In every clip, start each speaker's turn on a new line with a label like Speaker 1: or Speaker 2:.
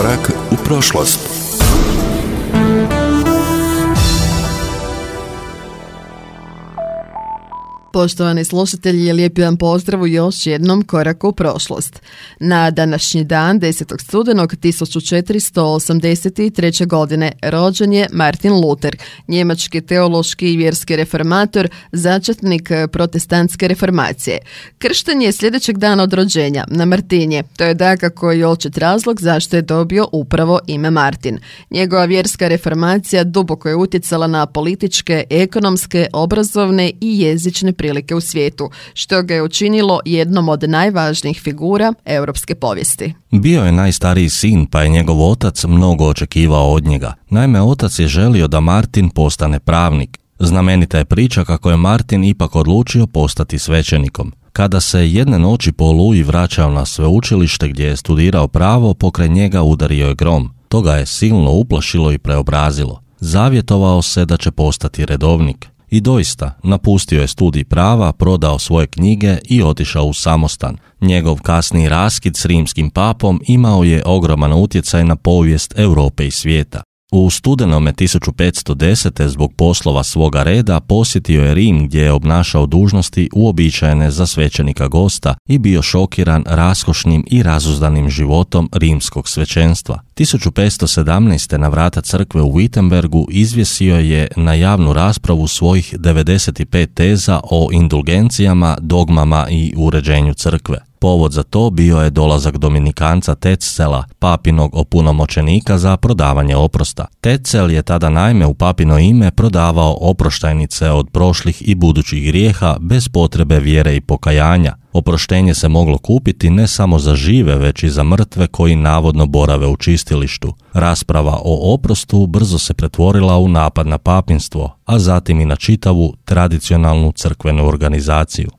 Speaker 1: Korak u prošlost.
Speaker 2: Poštovani slušatelji, lijepi vam pozdrav u još jednom koraku u prošlost. Na današnji dan, 10. studenog 1483. godine, rođen je Martin Luther, njemački teološki i vjerski reformator, začetnik protestantske reformacije. Kršten je sljedećeg dana od rođenja, na Martinje. To je dakako i očit razlog zašto je dobio upravo ime Martin. Njegova vjerska reformacija duboko je utjecala na političke, ekonomske, obrazovne i jezične prilike u svijetu, što ga je učinilo jednom od najvažnijih figura europske povijesti.
Speaker 3: Bio je najstariji sin, pa je njegov otac mnogo očekivao od njega. Naime, otac je želio da Martin postane pravnik. Znamenita je priča kako je Martin ipak odlučio postati svećenikom. Kada se jedne noći po oluji vraćao na sveučilište gdje je studirao pravo, pokraj njega udario je grom. To ga je silno uplašilo i preobrazilo. Zavjetovao se da će postati redovnik. I doista, napustio je studij prava, prodao svoje knjige i otišao u samostan. Njegov kasniji raskid s rimskim papom imao je ogroman utjecaj na povijest Europe i svijeta. U studenome 1510. zbog poslova svoga reda posjetio je Rim gdje je obnašao dužnosti uobičajene za svećenika gosta i bio šokiran raskošnim i razuzdanim životom rimskog svećenstva. 1517. na vrata crkve u Wittenbergu izvjesio je na javnu raspravu svojih 95 teza o indulgencijama, dogmama i uređenju crkve. Povod za to bio je dolazak dominikanca Tetzela, papinog opunomoćenika za prodavanje oprosta. Tetzel je tada naime u papino ime prodavao oproštajnice od prošlih i budućih grijeha bez potrebe vjere i pokajanja. Oproštenje se moglo kupiti ne samo za žive, već i za mrtve koji navodno borave u čistilištu. Rasprava o oprostu brzo se pretvorila u napad na papinstvo, a zatim i na čitavu tradicionalnu crkvenu organizaciju.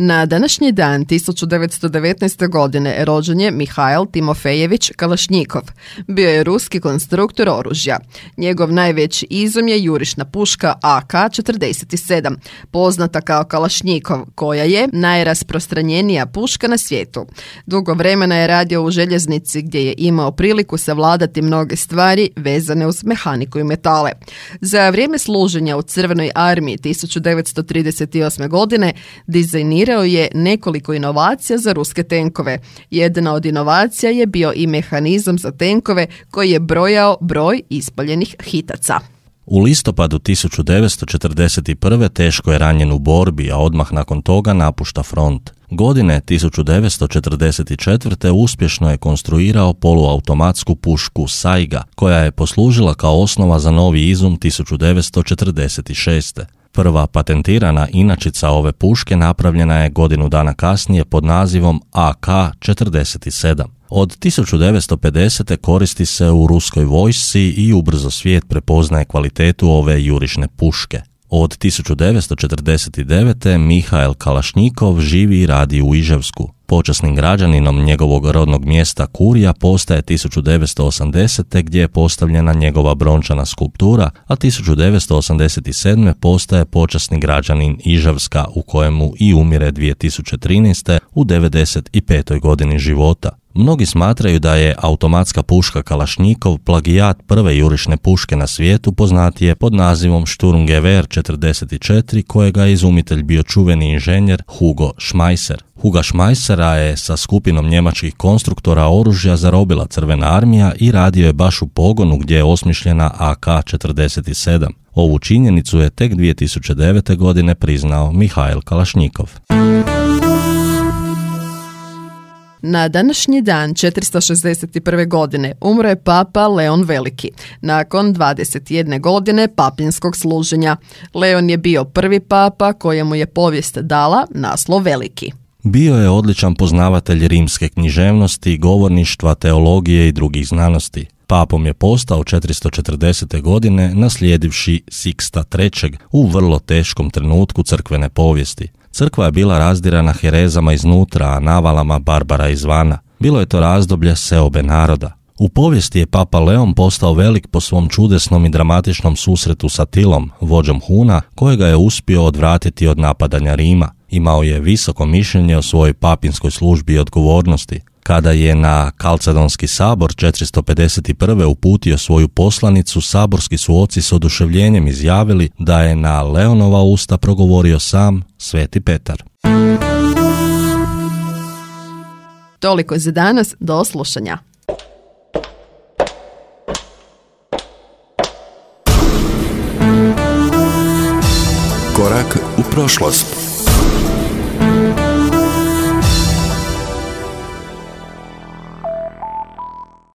Speaker 2: Na današnji dan 1919. godine rođen je Mihail Timofejević Kalašnjikov. Bio je ruski konstruktor oružja. Njegov najveći izum je jurišna puška AK-47, poznata kao Kalašnjikov, koja je najrasprostranjenija puška na svijetu. Dugo vremena je radio u željeznici gdje je imao priliku savladati mnoge stvari vezane uz mehaniku i metale. Za vrijeme služenja u Crvenoj armiji 1938. godine dizajnirao je nekoliko inovacija za ruske tenkove. Jedna od inovacija je bio i mehanizam za tenkove koji je brojao broj ispaljenih hitaca.
Speaker 3: U listopadu 1941. teško je ranjen u borbi, a odmah nakon toga napušta front. Godine 1944. uspješno je konstruirao poluautomatsku pušku Saiga, koja je poslužila kao osnova za novi izum 1946. Prva patentirana inačica ove puške napravljena je godinu dana kasnije pod nazivom AK-47. Od 1950. koristi se u ruskoj vojsci i ubrzo svijet prepoznaje kvalitetu ove jurišne puške. Od 1949. Mihail Kalašnjikov živi i radi u Iževsku. Počasnim građaninom njegovog rodnog mjesta Kurija postaje 1980. gdje je postavljena njegova brončana skulptura, a 1987. postaje počasni građanin Iževska u kojemu i umire 2013. u 95. godini života. Mnogi smatraju da je automatska puška Kalašnjikov plagijat prve jurišne puške na svijetu poznatije pod nazivom Sturmgewehr 44, kojega je izumitelj bio čuveni inženjer Hugo Schmeisser. Huga Schmeissera je sa skupinom njemačkih konstruktora oružja zarobila Crvena armija i radio je baš u pogonu gdje je osmišljena AK-47. Ovu činjenicu je tek 2009. godine priznao Mihail Kalašnjikov.
Speaker 2: Na današnji dan 461. godine umro je papa Leon Veliki, nakon 21 godine papinskog služenja. Leon je bio prvi papa kojemu je povijest dala naslov Veliki.
Speaker 3: Bio je odličan poznavatelj rimske književnosti, govorništva, teologije i drugih znanosti. Papom je postao 440. godine naslijedivši Siksta III. U vrlo teškom trenutku crkvene povijesti. Crkva je bila razdirana herezama iznutra, a navalama barbara izvana. Bilo je to razdoblje seobe naroda. U povijesti je papa Leon postao velik po svom čudesnom i dramatičnom susretu sa Tilom, vođom Huna, kojega je uspio odvratiti od napadanja Rima. Imao je visoko mišljenje o svojoj papinskoj službi i odgovornosti. Kada je na Kalcedonski sabor 451. uputio svoju poslanicu, saborski su oci s oduševljenjem izjavili da je na Leonova usta progovorio sam Sveti Petar.
Speaker 2: Toliko za danas, do slušanja.
Speaker 1: Korak u prošlost.